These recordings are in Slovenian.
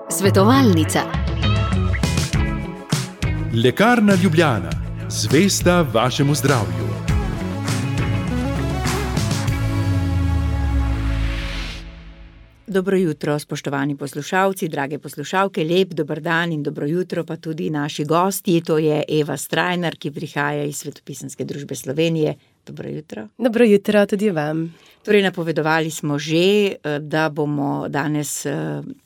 Svetovalnica. Lekarna Ljubljana, zvesta vašemu zdravju. Dobro jutro, spoštovani poslušalci, drage poslušalke, lep dober dan in dobro jutro pa tudi naši gostji. To je Eva Strajnar, ki prihaja iz Svetopisanske družbe Slovenije. Dobro jutro. Dobro jutro tudi vam. Torej, napovedovali smo že, da bomo danes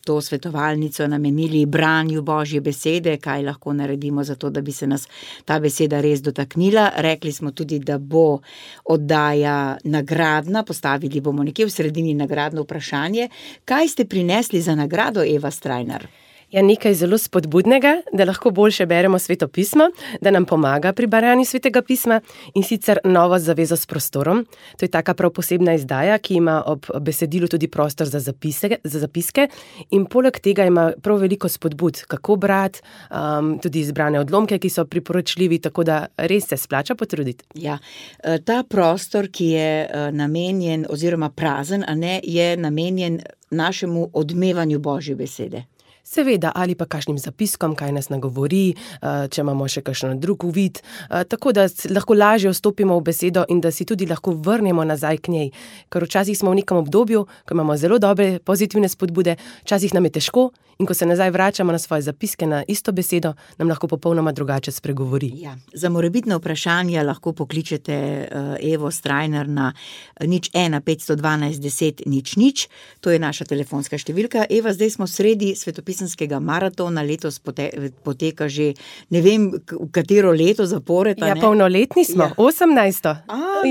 to svetovalnico namenili branju Božje besede, kaj lahko naredimo za to, da bi se nas ta beseda res dotaknila. Rekli smo tudi, da bo oddaja nagradna, postavili bomo nekje v sredini nagradno vprašanje. Kaj ste prinesli za nagrado, Eva Strajnar? Ja, nekaj zelo spodbudnega, da lahko boljše beremo Sveto pismo, da nam pomaga pri branju Svetega pisma, in sicer Novo zavezo s prostorom. To je taka prav posebna izdaja, ki ima ob besedilu tudi prostor za zapiske in poleg tega ima prav veliko spodbud, kako brati, tudi izbrane odlomke, ki so priporočljivi, tako da res se splača potruditi. Ja, ta prostor, ki je namenjen oziroma prazen, a ne, je namenjen našemu odmevanju Božje besede. Seveda, ali pa kakšnim zapiskom, kaj nas nagovori, če imamo še kakšen drug uvid, tako da lahko lažje vstopimo v besedo in da si tudi lahko vrnemo nazaj k njej. Ker včasih smo v nekem obdobju, ko imamo zelo dobre, pozitivne spodbude, včasih nam je težko in ko se nazaj vračamo na svoje zapiske, na isto besedo, nam lahko popolnoma drugače spregovori. Ja, za morebitna vprašanja lahko pokličete Evo Strajnar na 01 512 10 00. To je naša telefonska številka. Eva, zdaj smo sredi svetopisanskega maratona, letos poteka že ne vem, v katero leto zapored. Ja, polnoletni smo, ja. 18.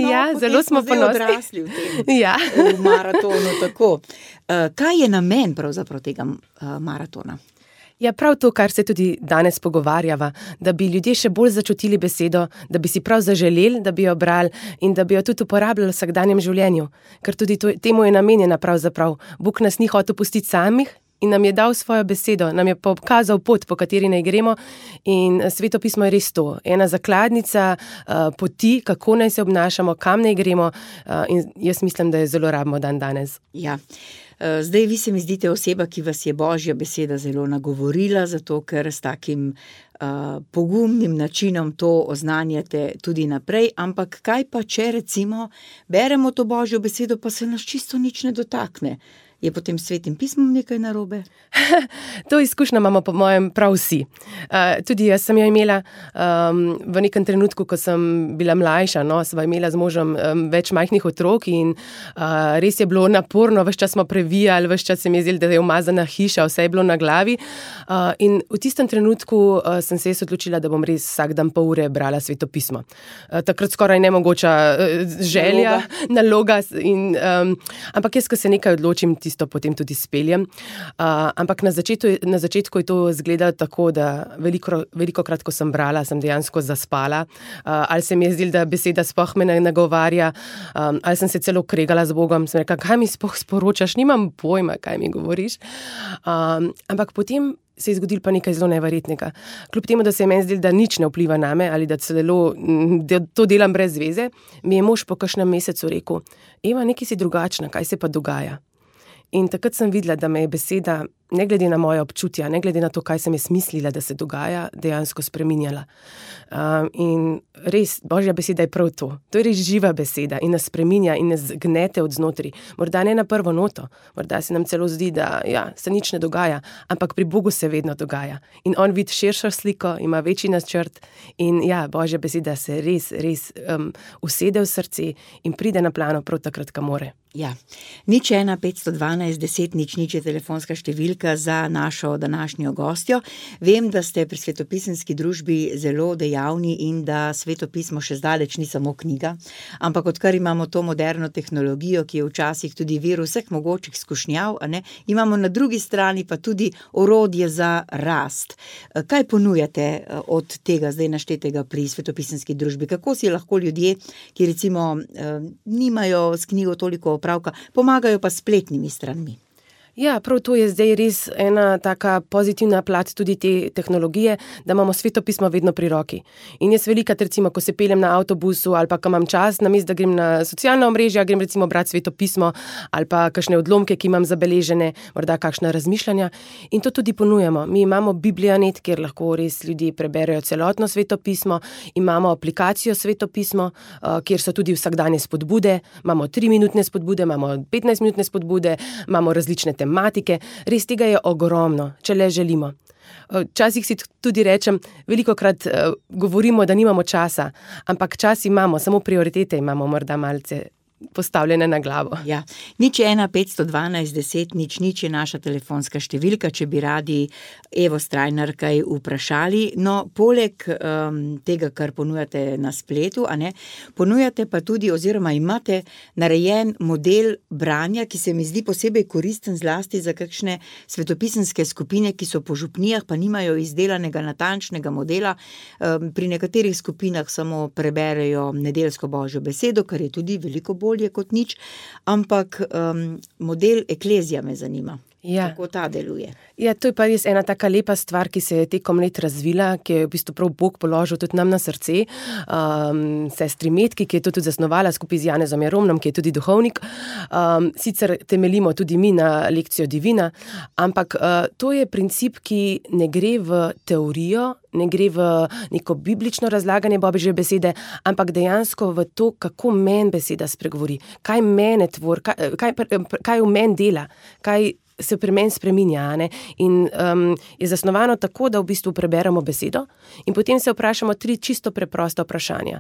Ja, zelo smo ponosni. Odrasli v tem ja. v maratonu, tako. Kaj je namen pravzaprav tega maratona? Ja, prav to, kar se tudi danes pogovarjava, da bi ljudje še bolj začutili besedo, da bi si prav zaželeli, da bi jo brali in da bi jo tudi uporabljali v vsakdanjem življenju. Ker tudi temu je namenjena pravzaprav. Bog nas ni hotel pustiti samih in nam je dal svojo besedo, nam je pokazal pot, po kateri naj gremo, in Sveto pismo je res to. Ena zakladnica poti, kako naj se obnašamo, kam naj gremo, in jaz mislim, da je zelo rabimo danes. Ja. Zdaj vi se mi zdite oseba, ki vas je Božja beseda zelo nagovorila, zato ker s takim pogumnim načinom to oznanjate tudi naprej, ampak kaj pa, če recimo beremo to Božjo besedo, pa se nas čisto nič ne dotakne? Je potem s Svetim pismom nekaj narobe? To izkušnjo imamo po mojem prav vsi. Tudi jaz sem jo imela v nekem trenutku, ko sem bila mlajša, sva imela z možem več majhnih otrok in res je bilo naporno, ves čas smo previjali, ves čas se mi je zdelo, da je umazana hiša, vse je bilo na glavi. In v tistem trenutku sem se jaz odločila, da bom res vsak dan pol ure brala Sveto pismo. Takrat skoraj nemogoča želja, naloga ampak jaz, ko se nekaj odločim, to potem tudi speljem. Ampak na začetku je to izgledalo tako, da velikokrat, ko sem brala, sem dejansko zaspala, ali se mi je zdelo, da beseda sploh me ne nagovarja, ali sem se celo kregala z Bogom, sem rekla, kaj mi sploh sporočaš, nimam pojma, kaj mi govoriš. Ampak potem se je zgodilo pa nekaj zelo neverjetnega. Kljub temu, da se je meni zdelo, da nič ne vpliva name ali da celo to delam brez veze, mi je mož po kakšnem mesecu rekel, Eva, nekaj si drugačna, kaj se pa dogaja? In takrat sem videla, da me je beseda, ne glede na moje občutja, ne glede na to, kaj sem jaz mislila, da se dogaja, dejansko spreminjala. In res, Božja beseda je prav to. To je res živa beseda in nas spreminja in nas gnete od znotri. Morda ne na prvo noto, morda se nam celo zdi, da se nič ne dogaja, ampak pri Bogu se vedno dogaja. In on vidi širšo sliko, ima večji načrt in Božja beseda se res usede v srce in pride na plano prav takrat, ko more. Ja, 01 512 10 00 je telefonska številka za našo današnjo gostjo. Vem, da ste pri Svetopisanski družbi zelo dejavni in da Sveto pismo še zdaleč ni samo knjiga, ampak odkar imamo to moderno tehnologijo, ki je včasih tudi vir vseh mogočih skušnjav, imamo na drugi strani pa tudi orodje za rast. Kaj ponujate od tega zdaj naštetega pri Svetopisanski družbi? Kako si lahko ljudje, ki recimo nimajo s knjigo toliko opravka, pomagajo pa spletnimi stranmi? Ja, prav to je zdaj res ena taka pozitivna plat tudi te tehnologije, da imamo svetopismo vedno pri roki. In jaz velikokrat, recimo, ko se peljem na avtobusu ali pa ko imam čas, namesto da grem na socialna omrežja, grem recimo brati svetopismo ali pa kakšne odlomke, ki imam zabeležene, morda kakšna razmišljanja. In to tudi ponujamo. Mi imamo Biblianet, kjer lahko res ljudje preberejo celotno svetopismo, imamo aplikacijo svetopismo, kjer so tudi vsakdanje spodbude, imamo 3-minutne spodbude, imamo 15-minutne spodbude, imamo različne tematike, res tega je ogromno, če le želimo. Včasih si tudi rečem, velikokrat govorimo, da nimamo časa, ampak čas imamo, samo prioritete imamo morda malce postavljene na glavo. Ja, 015121000 je naša telefonska številka, če bi radi Evo Strajnar kaj vprašali. No, poleg tega, kar ponujate na spletu, ponujate pa tudi oziroma imate narejen model branja, ki se mi zdi posebej koristen zlasti za kakšne svetopisemske skupine, ki so po župnijah, pa nimajo izdelanega natančnega modela. Pri nekaterih skupinah samo preberejo nedeljsko božjo besedo, kar je tudi veliko bolje kot nič, ampak model Eklezija me zanima. Ja. Kako ta deluje? Ja, to je pa res ena taka lepa stvar, ki se je tekom let razvila, ki je v bistvu prav Bog položil tudi nam na srce. Sestri Metki, ki je to tudi zasnovala skupaj z Janezom Jaromnom, ki je tudi duhovnik. Sicer temeljimo tudi mi na lekcijo Divina, ampak to je princip, ki ne gre v teorijo, ne gre v neko biblično razlaganje Božje besede, ampak dejansko v to, kako meni beseda spregovori, kaj mene tvori, kaj v meni dela, kaj se pri meni spreminja, in je zasnovano tako, da v bistvu preberemo besedo in potem se vprašamo 3 čisto preprosta vprašanja.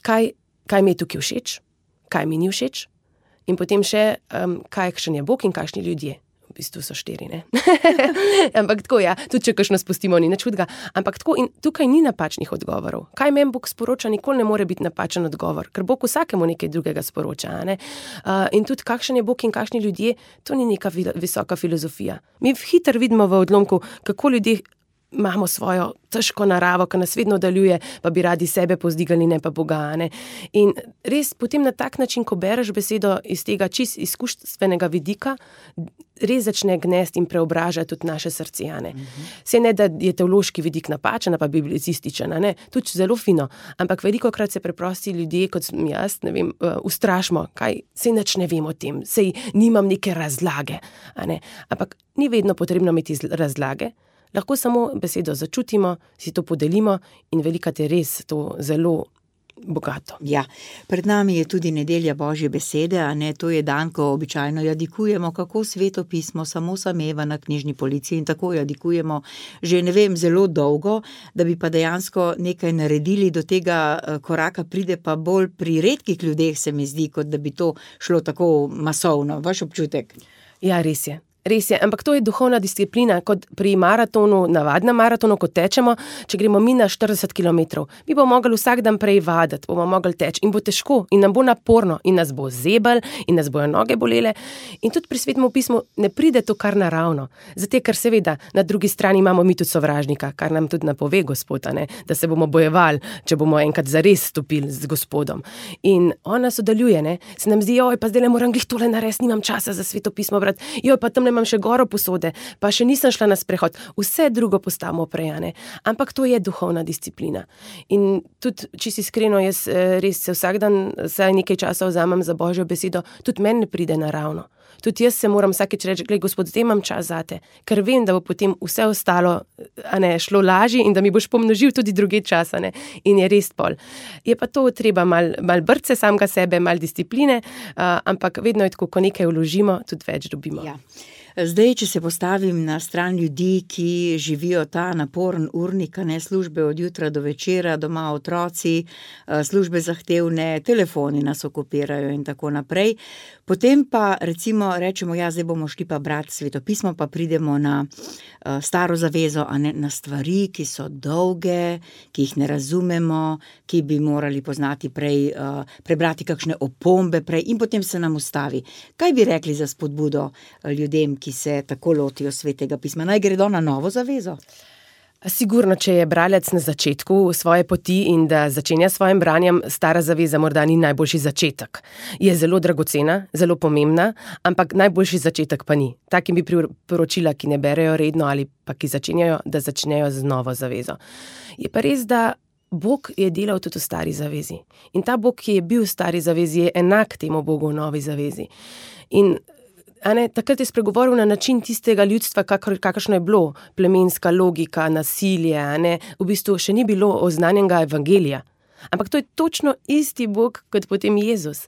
Kaj mi je tukaj všeč, kaj mi ni všeč in potem še, kakšen je Bog in kakšni ljudje. V bistvu so 4, ne? Ampak tako, ja, tudi če kakšno spustimo, ni nič hudega. Ampak tako, in tukaj ni napačnih odgovorov. Kaj meni Bog sporoča, nikoli ne more biti napačen odgovor, ker Bog vsakemu nekaj drugega sporoča, in tudi kakšen je Bog in kakšni ljudje, to ni neka visoka filozofija. Mi hitro vidimo v odlomku, kako ljudje imamo svojo težko naravo, ki nas vedno oddaljuje, pa bi radi sebe povzdigali, ne pa Boga, In res potem na tak način, ko bereš besedo iz tega čist izkuštvenega vidika, res začne gnesti in preobražati tudi naše srce, Saj ne, da je teološki vidik napačen, pa biblicističen, tudi zelo fino, ampak velikokrat se preprosti ljudje, kot sem jaz, ne vem, ustrašimo, saj nič ne vem o tem, saj nimam neke razlage, Ampak ni vedno potrebno imeti razlage, lahko samo besedo začutimo, si to podelimo in velikokrat je res to zelo bogato. Ja, pred nami je tudi nedelja Božje besede, to je dan, ko običajno jadikujemo, kako svetopismo samo sameva na knjižni polici in tako jadikujemo že, ne vem, zelo dolgo, da bi pa dejansko nekaj naredili, do tega koraka pride pa bolj pri redkih ljudeh, se mi zdi, kot da bi to šlo tako masovno. Vaš občutek? Ja, res je. Res je, ampak to je duhovna disciplina, kot pri maratonu, navadnem maratonu, ko tečemo, če gremo mi na 40 km. Mi bomo mogli vsak dan prej vaditi, bomo mogli teči in bo težko in nam bo naporno in nas bo zebel in nas bojo noge bolele. In tudi pri Svetem pismu ne pride to kar naravno. Zato, ker seveda na drugi strani imamo mi tudi sovražnika, kar nam tudi napove Gospod, da se bomo bojevali, če bomo enkrat zares stopili z Gospodom. In on nas oddaljuje, se nam zdi, pa zdaj le moram glih tole narediti, nimam časa za Sveto pismo brati, pa tam imam še goro posode, pa še nisem šla na sprehod. Vse drugo postavimo prej, ampak to je duhovna disciplina. In tudi, če si iskreno, jaz res se vsak dan vsaj nekaj časa vzamem za Božjo besedo, tudi meni ne pride naravno. Tudi jaz se moram vsakeč reči, glej, Gospod, zdaj imam čas zate, ker vem, da bo potem vse ostalo šlo lažje in da mi boš pomnožil tudi drugi čas, in je res pol. Je pa to treba mal brce samega sebe, mal discipline, ampak vedno je tako, ko nekaj vložimo, tudi več dobimo. Ja. Zdaj, če se postavim na stran ljudi, ki živijo ta naporen urnik, službe od jutra do večera, doma otroci, službe zahtevne, telefoni nas okupirajo in tako naprej. Potem pa recimo rečemo, zdaj bomo šli pa brati svetopismo, pa pridemo na staro zavezo, na stvari, ki so dolge, ki jih ne razumemo, ki bi morali poznati prej, prebrati kakšne opombe prej in potem se nam ustavi. Kaj bi rekli za spodbudo ljudem, ki se tako lotijo Svetega pisma? Naj gredo na novo zavezo? Sigurno, če je bralec na začetku svoje poti in da začenja s svojim branjem, Stara zaveza morda ni najboljši začetek. Je zelo dragocena, zelo pomembna, ampak najboljši začetek pa ni. Takim bi priporočila, ki ne berejo redno ali pa ki začenjajo, da začnejo z novo zavezo. Je pa res, da Bog je delal tudi v Stari zavezi. In ta Bog, ki je bil v Stari zavezi, je enak temu Bogu v Novi zavezi. In takrat je spregovoril na način tistega ljudstva, kakršno je bilo, plemenska logika, nasilje, v bistvu še ni bilo oznanjenega evangelija. Ampak to je točno isti Bog, kot potem Jezus.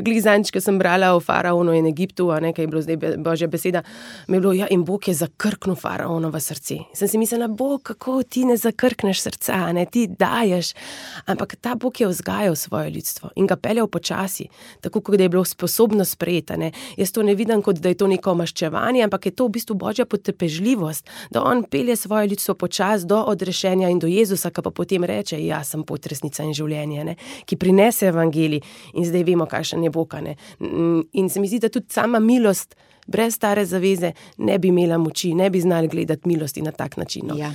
Glih zadnjič, ko sem brala o faraonu in Egiptu, kaj je bilo zdaj Božja beseda, mi je bilo, in Bog je zakrknil faraonovo srce. Sem si mislila, Bog, kako ti ne zakrkneš srca, ti daješ. Ampak ta Bog je vzgajal svoje ljudstvo in ga peljal počasi, tako kot da je bilo sposobno sprejeti. Jaz to ne vidim, kot da je to neko maščevanje, ampak je to v bistvu Božja potrpežljivost, da on pelje svoje ljudstvo počasi do odrešenja in do Jezusa, ki pa potem reče, jaz sem pot, resnica in življenje, ki prinese evangelij in zdaj vemo, kakšen je Bog. In se mi zdi, da tudi sama milost brez Stare zaveze ne bi imela moči, ne bi znali gledati milosti na tak način. Ja.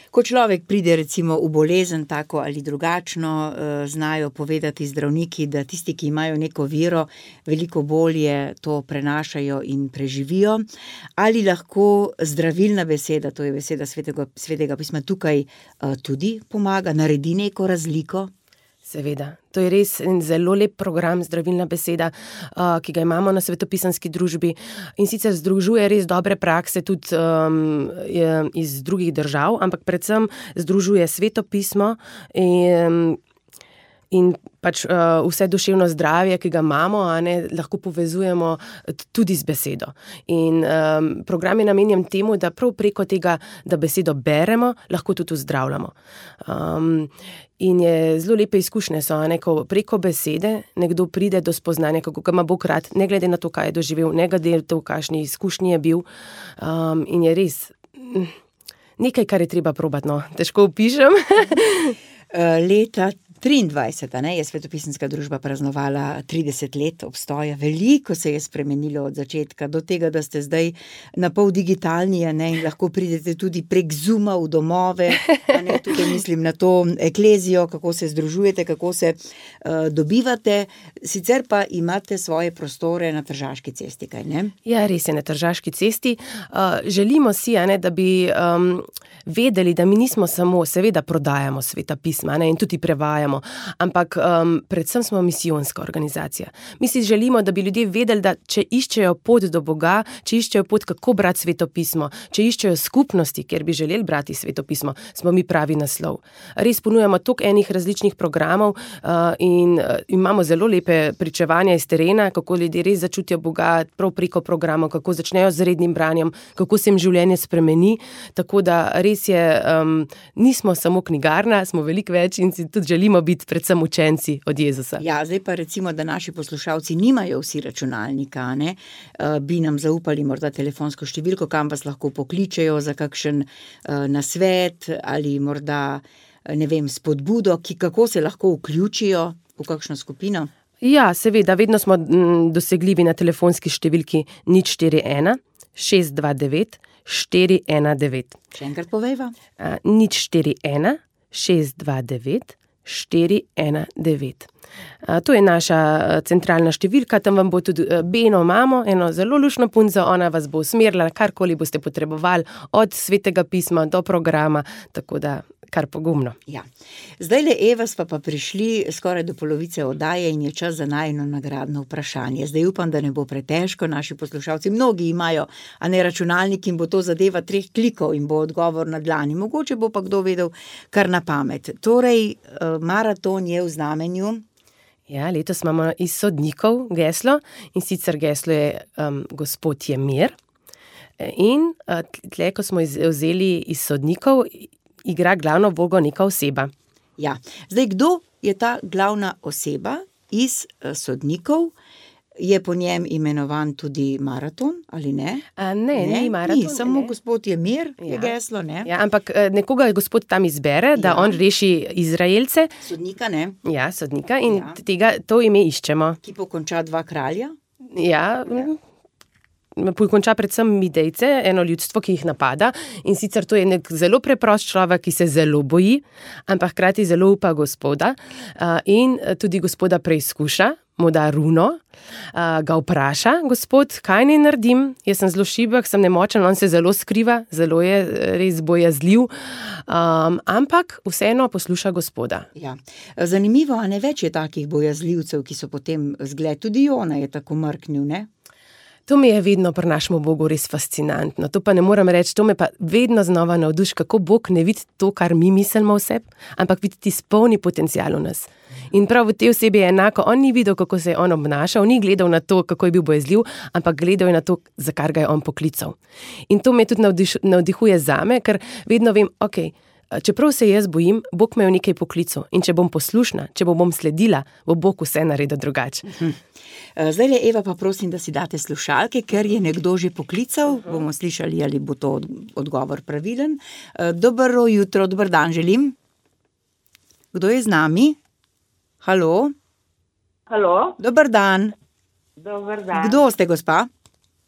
Ko človek pride recimo v bolezen tako ali drugačno, znajo povedati zdravniki, da tisti, ki imajo neko vero, veliko bolje to prenašajo in preživijo. Ali lahko zdravilna beseda, to je beseda svetega pisma, tukaj tudi pomaga, naredi neko razliko? Seveda, to je res en zelo lep program, zdravilna beseda, ki ga imamo na Svetopisanski družbi in sicer združuje res dobre prakse tudi iz drugih držav, ampak predvsem združuje Svetopismo in pač vse duševno zdravje, ki ga imamo, lahko povezujemo tudi z besedo. In program je namenjen temu, da prav preko tega, da besedo beremo, lahko tudi vzdravljamo. In je zelo lepe izkušnje so, ko preko besede nekdo pride do spoznanja, kako ga ima Bog rad, ne glede na to, kaj je doživel, ne glede na to, kakšni izkušnji je bil. In je res nekaj, kar je treba probati, težko opišem. Leta 23, je Svetopisanska družba praznovala 30 let obstoja. Veliko se je spremenilo od začetka do tega, da ste zdaj na pol digitalni, in lahko pridete tudi prek Zooma v domove. Tukaj mislim na to eklezijo, kako se združujete, kako se dobivate. Sicer pa imate svoje prostore na Tržaški cesti, kaj ne? Ja, res je, na Tržaški cesti. Želimo si, da bi vedeli, da mi nismo samo, seveda prodajamo Sveta pisma, in tudi prevajamo, ampak predvsem smo misijonska organizacija. Mi si želimo, da bi ljudje vedeli, da če iščejo pot do Boga, če iščejo pot, kako brati Sveto pismo, če iščejo skupnosti, kjer bi želeli brati Sveto pismo, smo mi pravi naslov. Res ponujamo toliko enih različnih programov in imamo zelo lepe pričevanja iz terena, kako ljudje res začutijo Boga prav preko programov, kako začnejo z rednim branjem, kako se jim življenje spremeni, tako da res je, nismo samo knjigarna, smo veliko več in si tudi želimo biti predvsem učenci od Jezusa. Ja, zdaj pa recimo, da naši poslušalci nimajo vsi računalnika, bi nam zaupali morda telefonsko številko, kam vas lahko pokličejo za kakšen nasvet ali morda, spodbudo, kako se lahko vključijo v kakšno skupino? Ja, seveda, vedno smo dosegljivi na telefonski številki 041 629 419. Še enkrat povejva. 041 629 419. To je naša centralna številka, tam vam bo tudi Beno imamo, eno zelo luštno punco, ona vas bo usmerila, karkoli boste potrebovali, od Svetega pisma do programa, tako da kar pogumno. Ja. Zdajle, Eva, sva pa prišli skoraj do polovice oddaje in je čas za najino nagradno vprašanje. Zdaj upam, da ne bo pretežko, naši poslušalci, mnogi imajo, računalnik in bo to zadeva 3 klikov in bo odgovor na dlani. Mogoče bo pa kdo vedel kar na pamet. Torej, maraton je v znamenju. Ja, letos imamo iz sodnikov geslo in sicer geslo je Gospod je mir. In tle, ko smo vzeli iz sodnikov, igra glavno vlogo neka oseba. Ja, zdaj kdo je ta glavna oseba iz sodnikov? Je po njem imenovan tudi maraton, ali ne? Ne, ni maraton. Ni, samo Gospod je mir, je geslo, ne? Ja, ampak nekoga Gospod tam izbere, da on reši Izraelce. Sodnika, ne? Ja, sodnika in to ime iščemo. Ki pokonča 2 kralja? Ja, pokonča predvsem Midejce, eno ljudstvo, ki jih napada, in sicer to je nek zelo preprost človek, ki se zelo boji, ampak hkrati zelo upa Gospoda in tudi Gospoda preizkuša, mu da runo, ga vpraša, Gospod, kaj naj naredim, jaz sem zelo šibek, sem nemočen, on se zelo skriva, zelo je res bojazljiv, ampak vseeno posluša Gospoda. Ja. Zanimivo, a ne več je takih bojazljivcev, ki so potem zgled, tudi Jona je tako mrknil, ne? To mi je vedno pri našemu Bogu res fascinantno. To pa ne moram reči, to me pa vedno znova navduši, kako Bog ne vidi to, kar mi mislimo o sebi, ampak vidi tisti polni potencial v nas. In prav v tej osebi je enako, on ni videl, kako se je on obnašal, ni gledal na to, kako je bil bojazljiv, ampak gledal je na to, za kar ga je on poklical. In to me tudi navdihuje zame, ker vedno vem, čeprav se jaz bojim, Bog me je v nekaj poklical in če bom poslušna, če bom sledila, bo Bog vse naredil drugače. Zdaj le, Eva, pa prosim, da si date slušalke, ker je nekdo že poklical, bomo slišali, ali bo to odgovor pravilen. Dobro jutro, dober dan želim. Kdo je z nami? Halo? Halo, Dober dan. dober dan. Kdo ste, gospa?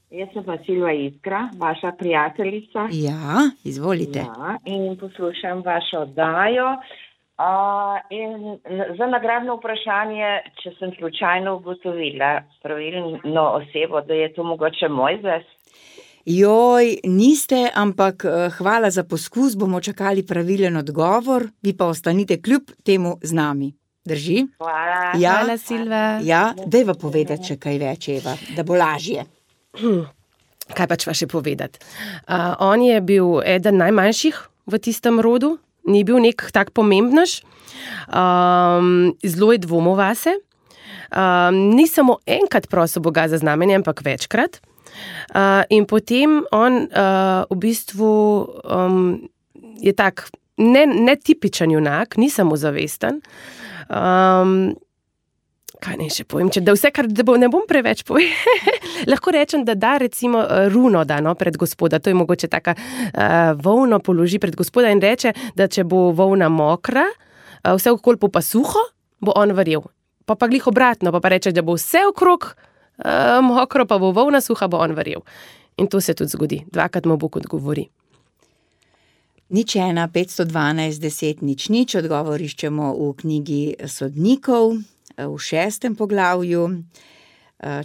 Jaz sem pa Silva Iskra, vaša prijateljica. Ja, izvolite. Ja, in poslušam vašo oddajo. In za nagradno vprašanje, če sem slučajno ugotovila pravilno osebo, da je to mogoče Mojzes. Joj, niste, ampak hvala za poskus, bomo čakali pravilen odgovor, vi pa ostanite kljub temu z nami. Drži? Hvala. Ja, Hvala, Silva. ja, dajva povedati še kaj več, Eva, da bo lažje. Kaj pač pa še povedati? On je bil eden najmanjših v tistem rodu, ni bil nek tak pomembnež, zelo je dvomil vase, ni samo enkrat prosil Boga za znamenje, ampak večkrat. In potem on v bistvu je tak netipičen junak, ni samozavesten. Kaj naj še povem, da vse, kar ne bom preveč povedal, lahko rečem, da recimo runo da pred Gospoda, to je mogoče taka volno položi pred Gospoda in reče, da če bo volna mokra, vse okolj pa suho, bo on verjel. Pa glih obratno, pa reče, da bo vse okrog mokro, pa bo volna suha, bo on verjel. In to se tudi zgodi, dvakrat mu Bog odgovori. 01 512 10 00, odgovor iščemo v knjigi Sodnikov, v 6. poglavju,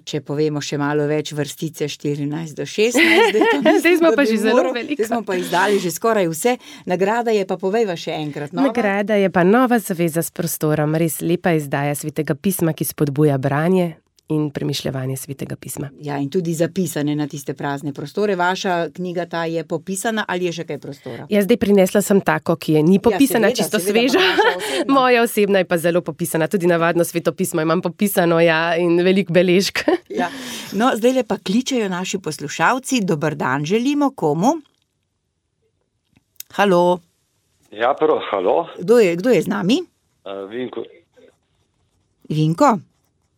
če povemo še malo več, vrstice 14 do 16. Zdaj smo pa že zelo veliko. Zdaj smo pa izdali že skoraj vse. Nagrada je pa, povejva še enkrat. Nova? Nagrada je pa Nova zaveza s prostorom, res lepa izdaja Svetega pisma, ki spodbuja branje in premišljevanje Svetega pisma. Ja, in tudi zapisane na tiste prazne prostore. Vaša knjiga ta je popisana ali je še kaj prostora? Jaz zdaj prinesla sem tako, ki je ni popisana, seveda, čisto seveda, sveža. Moja osebna je pa zelo popisana, tudi navadno Sveto pismo imam popisano, ja, in veliko beležk. Ja. No, zdaj le pa kličejo naši poslušalci. Dober dan želimo, komu? Halo? Ja, prav, halo. Kdo je z nami? Vinko. Vinko?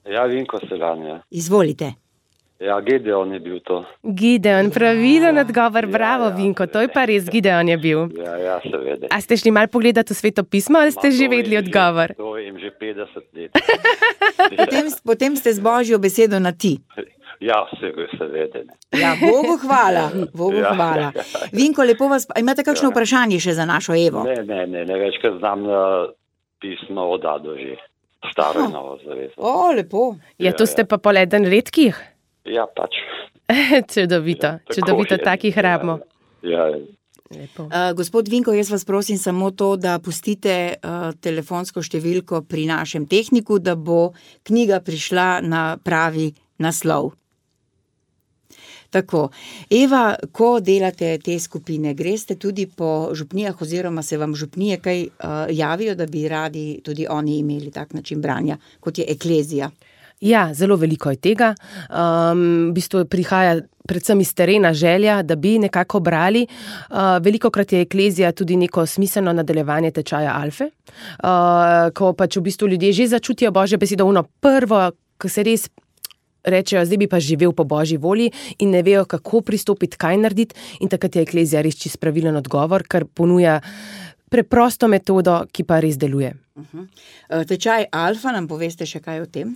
Ja, Vinko Selan, ja. Izvolite. Ja, Gideon je bil to. Gideon, pravilen odgovor, bravo, Vinko, to je pa res, Gideon je bil. Ja, seveda. A ste šli malo pogledati v Sveto pismo, ali ste že vedeli odgovor? To vem že 50 let. Potem ste z Božjo besedo na ti. Ja, seveda. Ja, Bogu hvala, Bogu hvala. Vinko, lepo vas, imate kakšno vprašanje še za našo Evo? Ne, večkrat znam pismo od Ado že. Staro in novo zavezo. O, lepo. Ja, to ste pa pol eden redkih? Ja, pač. Čudovito, takih rabimo. Ja. Lepo. Gospod Vinko, jaz vas prosim samo to, da pustite telefonsko številko pri našem tehniku, da bo knjiga prišla na pravi naslov. Tako, Eva, ko delate te skupine, greste tudi po župnijah oziroma se vam župnije kaj javijo, da bi radi tudi oni imeli tak način branja, kot je eklezija? Ja, zelo veliko je tega. V bistvu prihaja predvsem iz terena želja, da bi nekako brali. Velikokrat je eklezija tudi neko smiselno nadaljevanje tečaja Alfe, ko pač v bistvu ljudje že začutijo Božjo besedo, prvo, ko se res rečejo, zdaj bi pa živel po Božji volji in ne vejo, kako pristopiti, kaj narediti, in takrat je eklezija res čisto pravilen odgovor, ker ponuja preprosto metodo, ki pa res deluje. Tečaj Alfa, nam poveste še kaj o tem?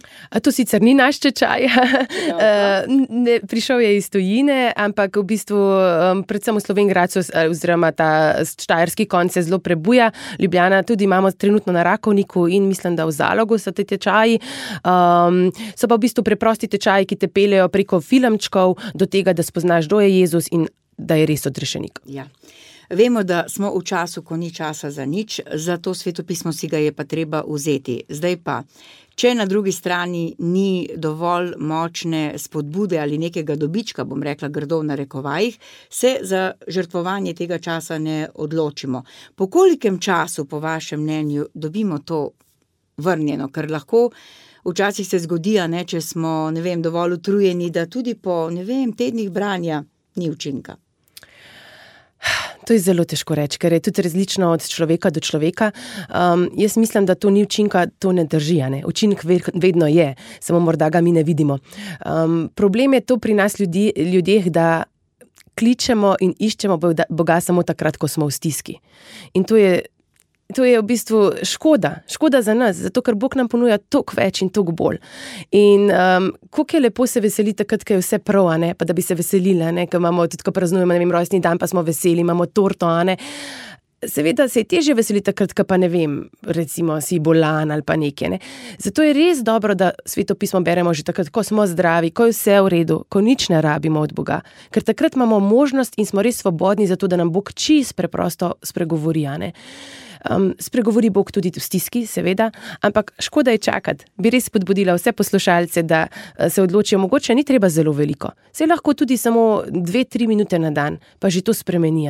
To sicer ni naš tečaj, prišel je iz tujine, ampak v bistvu predvsem v Slovenj Gradcu oziroma ta štajerski konc se zelo prebuja. Ljubljana tudi imamo trenutno na Rakovniku in mislim, da v Zalogu so te tečaji. So pa v bistvu preprosti tečaji, ki te peljejo preko filmčkov do tega, da spoznaš, kdo je Jezus in da je res odrešenik. Ja. Vemo, da smo v času, ko ni časa za nič, zato svetopismo si ga je pa treba vzeti. Zdaj pa, če na drugi strani ni dovolj močne spodbude ali nekega dobička, bom rekla grdo v narekovajih, se za žrtvovanje tega časa ne odločimo. Po kolikem času, po vašem mnenju, dobimo to vrnjeno? Ker lahko včasih se zgodi, če smo, dovolj utrujeni, da tudi po, tednih branja ni učinka. To je zelo težko reči, ker je tudi različno od človeka do človeka. Jaz mislim, da to ni učinka, to ne drži. Učinek vedno je, samo morda ga mi ne vidimo. Problem je to pri nas ljudeh, da kličemo in iščemo Boga samo takrat, ko smo v stiski. In to je v bistvu škoda za nas, zato ker Bog nam ponuja toliko več in toliko bolj. In koliko je lepo se veseli takrat, ko je vse prav, pa da bi se veselili, ko imamo, tudi ko praznujemo, rojstni dan, pa smo veseli, imamo torto, Seveda se je težje veseliti takrat, ko pa recimo si bolan ali pa nekaj, Zato je res dobro, da svetopismo beremo že takrat, ko smo zdravi, ko je vse v redu, ko nič ne rabimo od Boga. Ker takrat imamo možnost in smo res svobodni za to, da nam Bog čisto preprosto spregovori, Spregovori Bog tudi v stiski, seveda, ampak škoda je čakati. Bi res spodbudila vse poslušalce, da se odločijo, mogoče ni treba zelo veliko. Se lahko tudi samo 2-3 minute na dan, pa že to spremeni,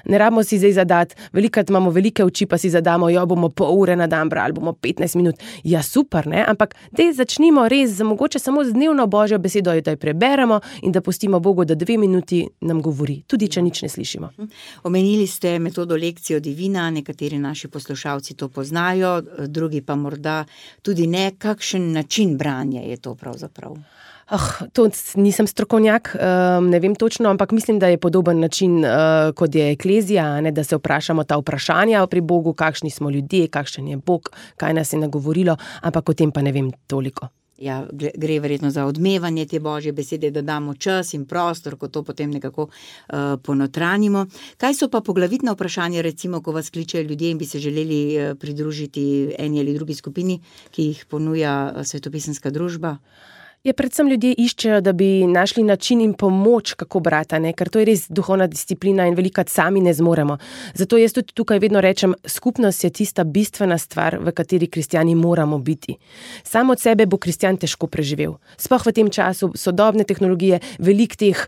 Ne rabimo si zdaj zadati, velikrat imamo velike oči, pa si zadamo, bomo pol ure na dan brali, bomo 15 minut. Ja, super, ampak daj začnimo res, mogoče samo z dnevno Božjo besedo, da jo preberemo in da pustimo Bogu, da 2 minuti nam govori, tudi če nič ne slišimo. Omenili ste metodo lekcijo divina, nekateri naši poslušalci to poznajo, drugi pa morda tudi ne. Kakšen način branja je to pravzaprav? To nisem strokovnjak, ne vem točno, ampak mislim, da je podoben način, kot je eklezija, da se vprašamo ta vprašanja pri Bogu, kakšni smo ljudje, kakšen je Bog, kaj nas je nagovorilo, ampak o tem pa ne vem toliko. Ja, gre verjetno za odmevanje te Božje besede, da damo čas in prostor, ko to potem nekako ponotranimo. Kaj so pa poglavitna vprašanja, recimo, ko vas kličejo ljudje in bi se želeli pridružiti eni ali drugi skupini, ki jih ponuja svetopisemska družba? Predvsem ljudje iščejo, da bi našli način in pomoč, kako brati, ker to je res duhovna disciplina in velikokrat sami ne zmoremo. Zato jaz tudi tukaj vedno rečem, skupnost je tista bistvena stvar, v kateri kristjani moramo biti. Sam od sebe bo kristjan težko preživel. Sploh v tem času sodobne tehnologije, veliko teh,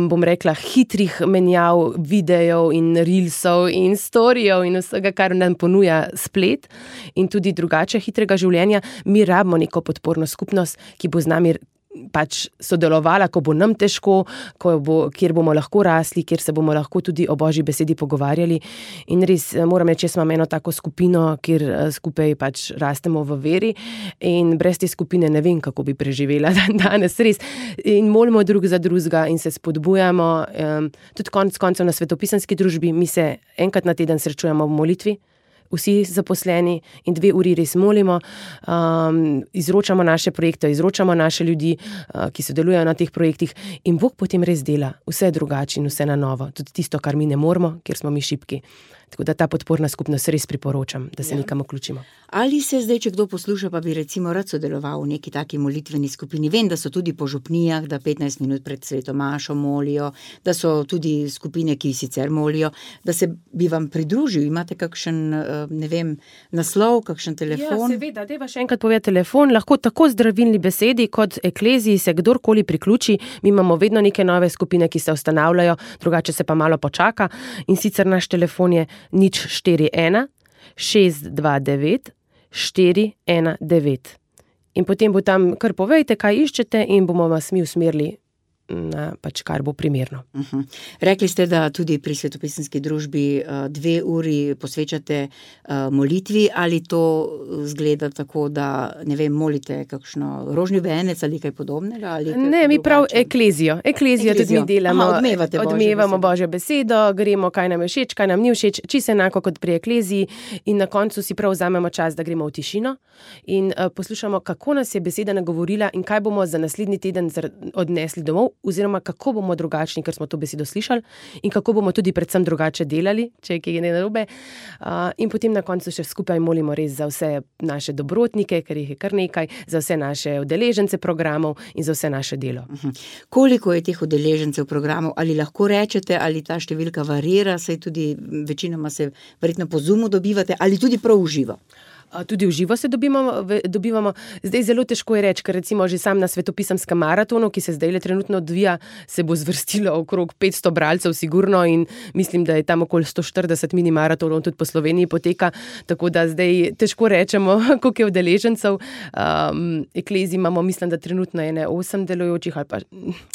bom rekla, hitrih menjav, videjev in reelsov in storijev in vsega, kar nam ponuja splet in tudi drugače hitrega življenja, mi rabimo neko podporno skupnost, ki bo z nami sodelovala, ko bo nam težko, kjer bomo lahko rasli, kjer se bomo lahko tudi o Božji besedi pogovarjali. In res moram reči, jaz imam eno tako skupino, kjer skupaj rastemo v veri in brez te skupine ne vem, kako bi preživela danes, res. In molimo drug za drugega in se spodbujamo. Tudi konec koncev na svetopisemski družbi mi se enkrat na teden srečujemo v molitvi, vsi zaposleni in 2 uri res molimo, izročamo naše projekte, izročamo naše ljudi, ki sodelujejo na teh projektih in Bog potem res dela vse drugače in vse na novo, tudi tisto, kar mi ne moremo, ker smo mi šibki. Tako da ta podporna skupnost res priporočam, da se nekam vključimo. Ali se zdaj, če kdo posluša, pa bi recimo rad sodeloval v neki taki molitveni skupini? Vem, da so tudi po župnijah, da 15 minut pred sveto mašo molijo, da so tudi skupine, ki sicer molijo, da se bi vam pridružil. Imate kakšen, naslov, kakšen telefon? Ja, seveda, dajva še enkrat povedati telefon, lahko tako zdravilni besedi kot ekleziji se kdorkoli priključi. Mi imamo vedno neke nove skupine, ki se ustanavljajo, drugače se pa malo počaka in sicer naš telefon je 041 629 419. In potem bo tam kar povejte, kaj iščete in bomo vas mi usmerili pač kar bo primerno. Rekli ste, da tudi pri svetopisemski družbi 2 uri posvečate molitvi, ali to zgleda tako, da, ne vem, molite kakšno rožni venec ali kaj podobnega? Ali ne, mi prav eklezijo tudi mi delamo. Odmevamo Božjo besedo, gremo, kaj nam je všeč, kaj nam ni všeč, čisto enako kot pri ekleziji, in na koncu si prav vzamemo čas, da gremo v tišino in poslušamo, kako nas je beseda nagovorila in kaj bomo za naslednji teden odnesli domov, oziroma kako bomo drugačni, ker smo to besedo slišali, in kako bomo tudi predvsem drugače delali, če je kaj narobe. In potem na koncu še skupaj molimo res za vse naše dobrotnike, ker jih je kar nekaj, za vse naše udeležence programov in za vse naše delo. Koliko je teh udeležencev programov? Ali lahko rečete, ali ta številka varira, saj tudi večinoma se verjetno po Zoomu dobivate, ali tudi prav v živo? Tudi v živo se dobivamo. Zdaj zelo težko je reči, ker recimo že sam na svetopisemskem maratonu, ki se zdaj trenutno odvija, se bo zvrstilo okrog 500 bralcev sigurno in mislim, da je tam okoli 140 mini maratonov tudi po Sloveniji poteka, tako da zdaj težko rečemo, koliko je udeležencev. Ekleziji imamo, mislim, da trenutno je 8 delujočih, ali pa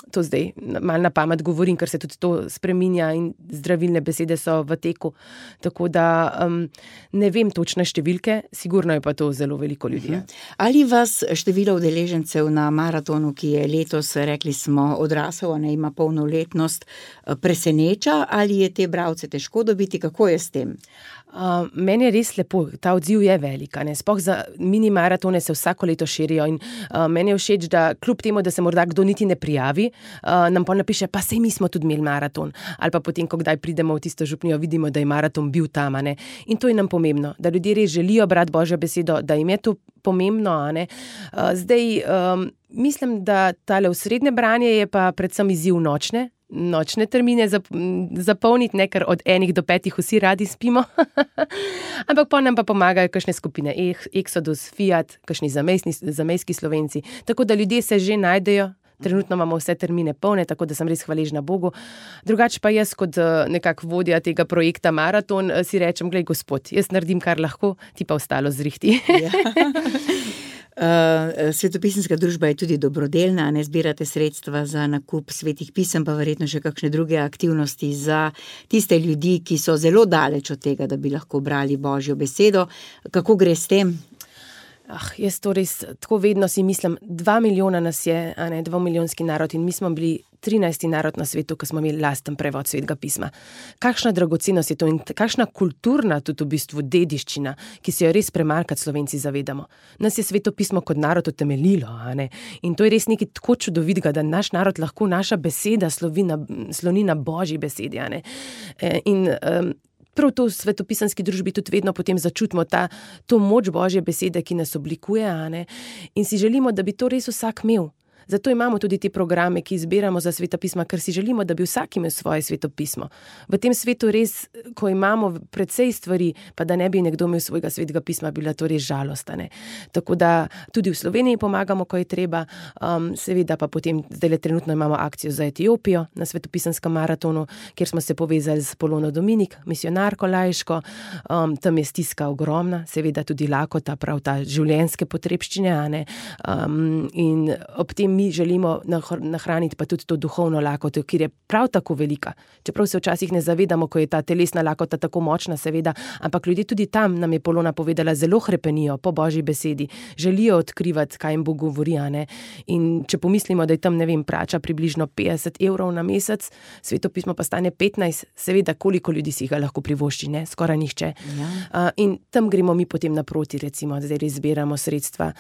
to zdaj malo na pamet govorim, ker se tudi to spreminja in zdravilne besede so v teku, tako da ne vem točne številke. Sigurno je pa to zelo veliko ljudi. Ali vas število udeležencev na maratonu, ki je letos, rekli smo, odrasel, ima polnoletnost, preseneča, ali je te bralce težko dobiti? Kako je s tem? Meni je res lepo, ta odziv je velik, sploh za mini maratone se vsako leto širijo in meni je všeč, da kljub temu, da se morda kdo niti ne prijavi, nam pa napiše, pa sej mi smo tudi imeli maraton, ali pa potem, ko kdaj pridemo v tisto župnijo, vidimo, da je maraton bil tam, in to je nam pomembno, da ljudje res želijo brati Božjo besedo, da jim je to pomembno, Zdaj, mislim, da tale osrednje branje je pa predvsem izziv nočne termine zapolniti, ker od 1 do 5 vsi radi spimo. Ampak pa nam pa pomagajo kakšne skupine Exodus, Fiat, kakšni zamejski Slovenci. Tako da ljudje se že najdejo. Trenutno imamo vse termine polne, tako da sem res hvaležna Bogu. Drugače pa jaz kot nekako vodja tega projekta Maraton si rečem, glej gospod, jaz naredim kar lahko, ti pa ostalo zrihti. Svetopisemska družba je tudi dobrodelna, zbirate sredstva za nakup svetih pisem, pa verjetno še kakšne druge aktivnosti za tiste ljudi, ki so zelo daleč od tega, da bi lahko brali Božjo besedo. Kako gre s tem? Jaz to res tako vedno si mislim, 2 milijona nas je, 2-milijonski narod, in mi smo bili 13. narod na svetu, ko smo imeli lasten prevod svetega pisma. Kakšna dragocenost je to in kakšna kulturna tudi v bistvu dediščina, ki se jo res premalkrat Slovenci zavedamo. Nas je sveto pismo kot narod utemeljilo, in to je res nekaj tako čudovitega, da naš narod lahko, naša beseda sloni na Božji besedi, In prav to v svetopisemski družbi tudi vedno potem začutimo to moč Božje besede, ki nas oblikuje, in si želimo, da bi to res vsak imel. Zato imamo tudi te programe, ki izbiramo za sveta pisma, ker si želimo, da bi vsak imel svoje sveto pismo. V tem svetu res, ko imamo precej stvari, pa da ne bi nekdo imel svojega svetega pisma, bila to res žalost. Tako da tudi v Sloveniji pomagamo, ko je treba, seveda pa potem, zdaj trenutno imamo akcijo za Etiopijo na svetopisemskem maratonu, kjer smo se povezali z Polono Dominik, misionarko laiško, tam je stiska ogromna, seveda tudi lakota, prav ta življenjske potrebščine, in ob tem mi želimo nahraniti pa tudi to duhovno lakoto, ki je prav tako velika. Čeprav se včasih ne zavedamo, ko je ta telesna lakota tako močna, seveda, ampak ljudje tudi tam, nam je Polona povedala, zelo hrepenijo po Božji besedi, želijo odkrivati, kaj jim Bog govori, In če pomislimo, da je tam, plača približno 50 evrov na mesec, sveto pismo pa stane 15, seveda, koliko ljudi si ga lahko privošči, skoraj nihče. Ja. In tam gremo mi potem naproti, recimo, zdaj res zbiramo sredstva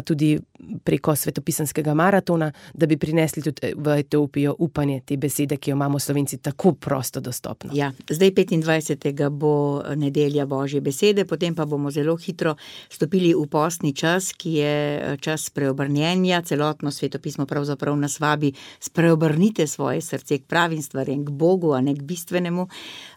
tudi preko svetopisemskega maratona, da bi prinesli tudi v Etiopijo upanje te besede, ki jo imamo Slovenci tako prosto dostopno. Ja, zdaj 25. bo nedelja Božje besede, potem pa bomo zelo hitro stopili v postni čas, ki je čas preobrnjenja, celotno sveto pismo pravzaprav nas vabi, spreobrnite svoje srce k pravim stvarem, k Bogu, a ne k bistvenemu.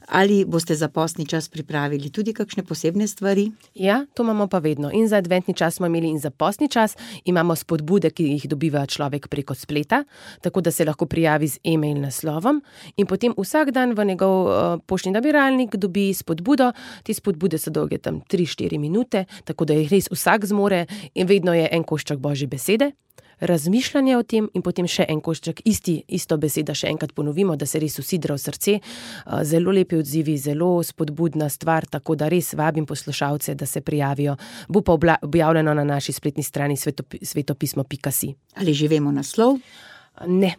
Ali boste za postni čas pripravili tudi kakšne posebne stvari? Ja, to imamo pa vedno. In za adventni čas smo imeli in za postni čas imamo spodbude, ki jih dobiva človek preko spleta, tako da se lahko prijavi z e-mail naslovom in potem vsak dan v njegov poštni nabiralnik dobi spodbudo. Te spodbude so dolge tam 3-4 minute, tako da jih res vsak zmore in vedno je en košček Božje besede. razmišljanje o tem in potem še en košček isto beseda še enkrat ponovimo, da se res usidra v srce. Zelo lepi odzivi, zelo spodbudna stvar, tako da res vabim poslušalce, da se prijavijo. Bo pa objavljeno na naši spletni strani svetopismo.si. Ali že vemo naslov? Ne.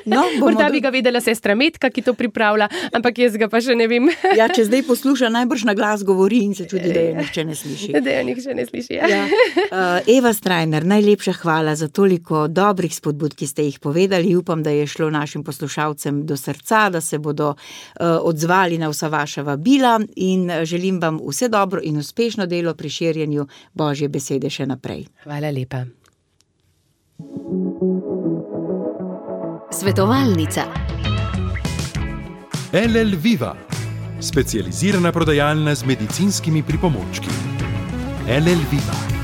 No, morda bi ga vedela sestra Metka, ki to pripravlja, ampak jaz ga pa še ne vem. Ja, če zdaj posluša, najbrž na glas govori in se čudi, da jo nihče ne sliši. Da jo nihče ne sliši, ja. Eva Strajner, najlepša hvala za toliko dobrih spodbud, ki ste jih povedali. Upam, da je šlo našim poslušalcem do srca, da se bodo odzvali na vsa vaša vabila in želim vam vse dobro in uspešno delo pri širjenju Božje besede še naprej. Hvala lepa. Svetovalnica. LL Viva, specializirana prodajalna z medicinskimi pripomočki. LL Viva.